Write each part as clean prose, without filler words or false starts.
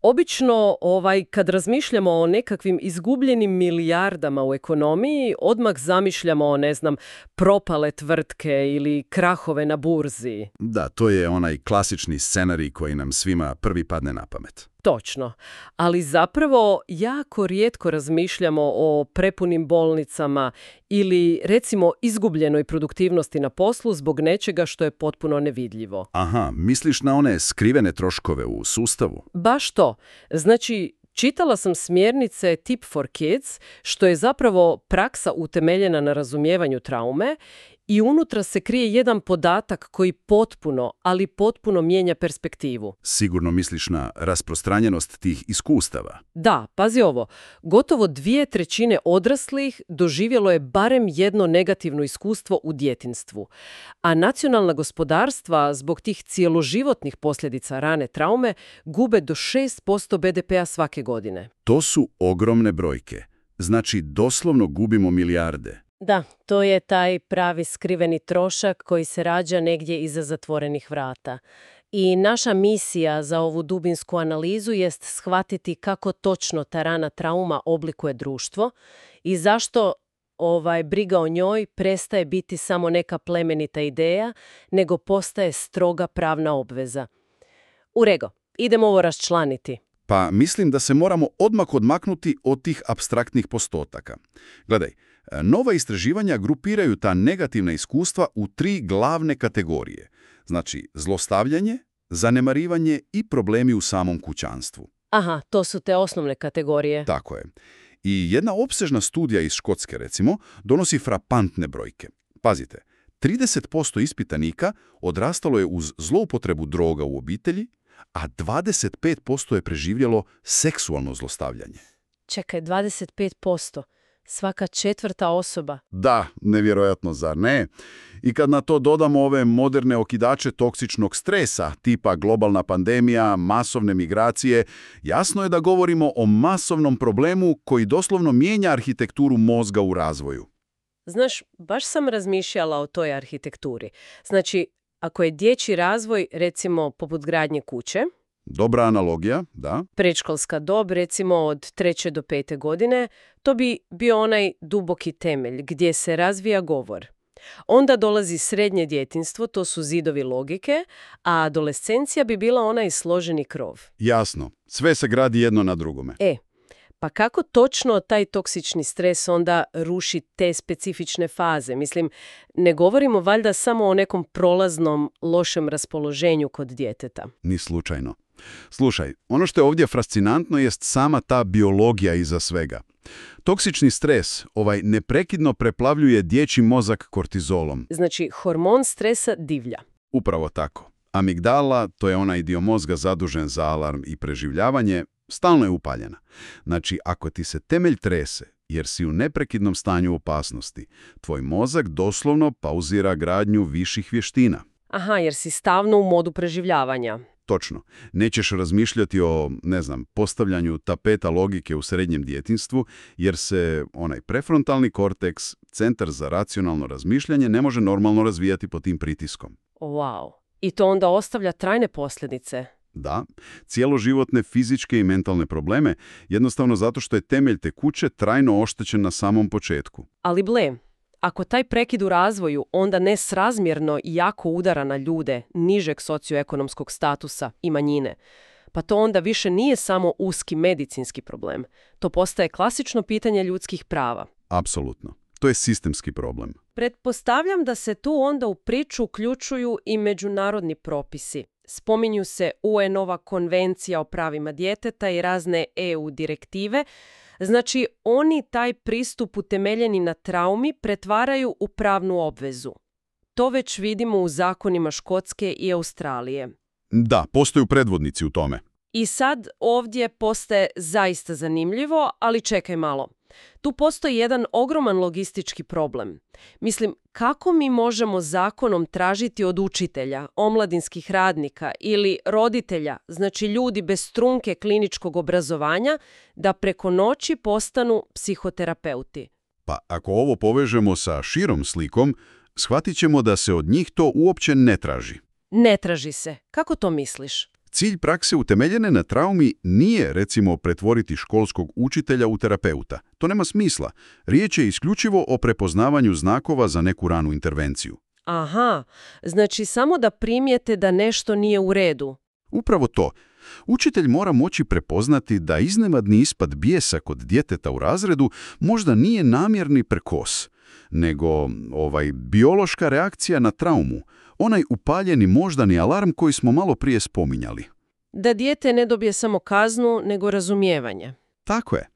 Obično, kad razmišljamo o nekakvim izgubljenim milijardama u ekonomiji, odmah zamišljamo, propale tvrtke ili krahove na burzi. Da, to je onaj klasični scenarij koji nam svima prvi padne na pamet. Točno. Ali zapravo jako rijetko razmišljamo o prepunim bolnicama ili, recimo, izgubljenoj produktivnosti na poslu zbog nečega što je potpuno nevidljivo. Aha, misliš na one skrivene troškove u sustavu? Baš to. Znači, čitala sam smjernice Tip for Kids, što je zapravo praksa utemeljena na razumijevanju traume i unutra se krije jedan podatak koji ali potpuno mijenja perspektivu. Sigurno misliš na rasprostranjenost tih iskustava. Da, pazi ovo. Gotovo 2/3 odraslih doživjelo je barem jedno negativno iskustvo u djetinjstvu. A nacionalna gospodarstva zbog tih cijeloživotnih posljedica rane traume gube do 6% BDP-a svake godine. To su ogromne brojke. Znači, doslovno gubimo milijarde. Da, to je taj pravi skriveni trošak koji se rađa negdje iza zatvorenih vrata. I naša misija za ovu dubinsku analizu jest shvatiti kako točno ta rana trauma oblikuje društvo i zašto briga o njoj prestaje biti samo neka plemenita ideja, nego postaje stroga pravna obveza. Urego, idemo ovo raščlaniti. Pa mislim da se moramo odmah odmaknuti od tih apstraktnih postotaka. Gledaj, nova istraživanja grupiraju ta negativna iskustva u 3 glavne kategorije. Znači, zlostavljanje, zanemarivanje i problemi u samom kućanstvu. Aha, to su te osnovne kategorije. Tako je. I jedna opsežna studija iz Škotske, recimo, donosi frapantne brojke. Pazite, 30% ispitanika odrastalo je uz zloupotrebu droga u obitelji, a 25% je preživjelo seksualno zlostavljanje. Čekaj, 25%. Svaka 4. osoba. Da, nevjerojatno, zar ne? I kad na to dodamo ove moderne okidače toksičnog stresa, tipa globalna pandemija, masovne migracije, jasno je da govorimo o masovnom problemu koji doslovno mijenja arhitekturu mozga u razvoju. Znaš, baš sam razmišljala o toj arhitekturi. Znači, ako je dječji razvoj, recimo, poput gradnje kuće, dobra analogija, da. Predškolska dob, recimo od 3. do 5. godine, to bi bio onaj duboki temelj gdje se razvija govor. Onda dolazi srednje djetinjstvo, to su zidovi logike, a adolescencija bi bila onaj složeni krov. Jasno, sve se gradi jedno na drugome. Pa kako točno taj toksični stres onda ruši te specifične faze? Mislim, ne govorimo valjda samo o nekom prolaznom lošem raspoloženju kod djeteta. Ni slučajno. Slušaj, ono što je ovdje fascinantno jest sama ta biologija iza svega. Toksični stres neprekidno preplavljuje dječji mozak kortizolom. Znači, hormon stresa divlja. Upravo tako. Amigdala, to je onaj dio mozga zadužen za alarm i preživljavanje, stalno je upaljena. Znači, ako ti se temelj trese, jer si u neprekidnom stanju opasnosti, tvoj mozak doslovno pauzira gradnju viših vještina. Aha, jer si stalno u modu preživljavanja. Točno. Nećeš razmišljati o, postavljanju tapeta logike u srednjem djetinjstvu, jer se onaj prefrontalni korteks, centar za racionalno razmišljanje, ne može normalno razvijati pod tim pritiskom. Wow. I to onda ostavlja trajne posljedice. Da, cijeloživotne fizičke i mentalne probleme, jednostavno zato što je temelj te kuće trajno oštećen na samom početku. Ali ako taj prekid u razvoju onda nesrazmjerno i jako udara na ljude nižeg socioekonomskog statusa i manjine, pa to onda više nije samo uski medicinski problem. To postaje klasično pitanje ljudskih prava. Apsolutno. To je sistemski problem. Pretpostavljam da se tu onda u priču uključuju i međunarodni propisi. Spominju se UN-ova konvencija o pravima djeteta i razne EU direktive. Znači, oni taj pristup utemeljeni na traumi pretvaraju u pravnu obvezu. To već vidimo u zakonima Škotske i Australije. Da, postoju predvodnici u tome. I sad ovdje postaje zaista zanimljivo, ali čekaj malo. Tu postoji jedan ogroman logistički problem. Mislim, kako mi možemo zakonom tražiti od učitelja, omladinskih radnika ili roditelja, znači ljudi bez trunke kliničkog obrazovanja, da preko noći postanu psihoterapeuti? Pa ako ovo povežemo sa širom slikom, shvatit ćemo da se od njih to uopće ne traži. Ne traži se. Kako to misliš? Cilj prakse utemeljene na traumi nije, recimo, pretvoriti školskog učitelja u terapeuta. To nema smisla. Riječ je isključivo o prepoznavanju znakova za neku ranu intervenciju. Aha, znači samo da primijete da nešto nije u redu. Upravo to. Učitelj mora moći prepoznati da iznenadni ispad bijesa kod djeteta u razredu možda nije namjerni prekos, nego biološka reakcija na traumu, onaj upaljeni moždani alarm koji smo malo prije spominjali. Da dijete ne dobije samo kaznu, nego razumijevanje. Tako je.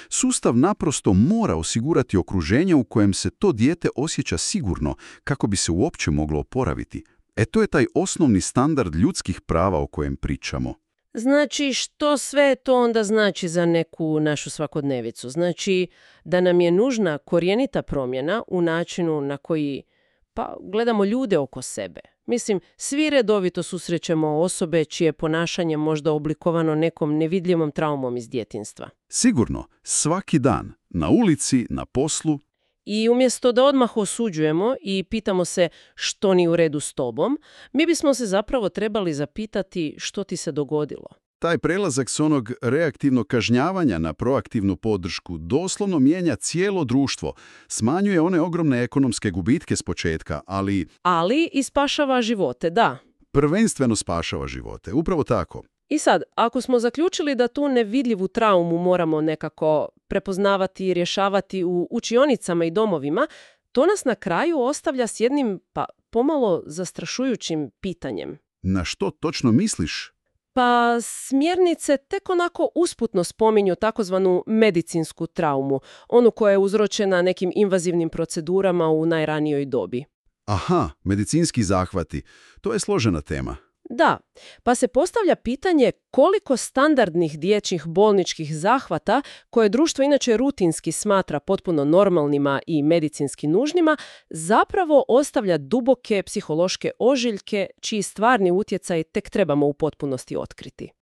Sustav naprosto mora osigurati okruženje u kojem se to dijete osjeća sigurno kako bi se uopće moglo oporaviti. To je taj osnovni standard ljudskih prava o kojem pričamo. Znači, što sve to onda znači za neku našu svakodnevicu? Znači, da nam je nužna korijenita promjena u načinu na koji gledamo ljude oko sebe. Mislim, svi redovito susrećemo osobe čije ponašanje možda oblikovano nekom nevidljivom traumom iz djetinjstva. Sigurno, svaki dan, na ulici, na poslu. I umjesto da odmah osuđujemo i pitamo se što ni u redu s tobom, mi bismo se zapravo trebali zapitati što ti se dogodilo. Taj prelazak s onog reaktivnog kažnjavanja na proaktivnu podršku doslovno mijenja cijelo društvo, smanjuje one ogromne ekonomske gubitke s početka, ali i spašava živote, da. Prvenstveno spašava živote, upravo tako. I sad, ako smo zaključili da tu nevidljivu traumu moramo nekako prepoznavati i rješavati u učionicama i domovima, to nas na kraju ostavlja s jednim, pomalo zastrašujućim pitanjem. Na što točno misliš? Smjernice tek onako usputno spominju takozvanu medicinsku traumu, onu koja je uzročena nekim invazivnim procedurama u najranijoj dobi. Aha, medicinski zahvati. To je složena tema. Da, pa se postavlja pitanje koliko standardnih dječjih bolničkih zahvata, koje društvo inače rutinski smatra potpuno normalnima i medicinski nužnima, zapravo ostavlja duboke psihološke ožiljke čiji stvarni utjecaj tek trebamo u potpunosti otkriti.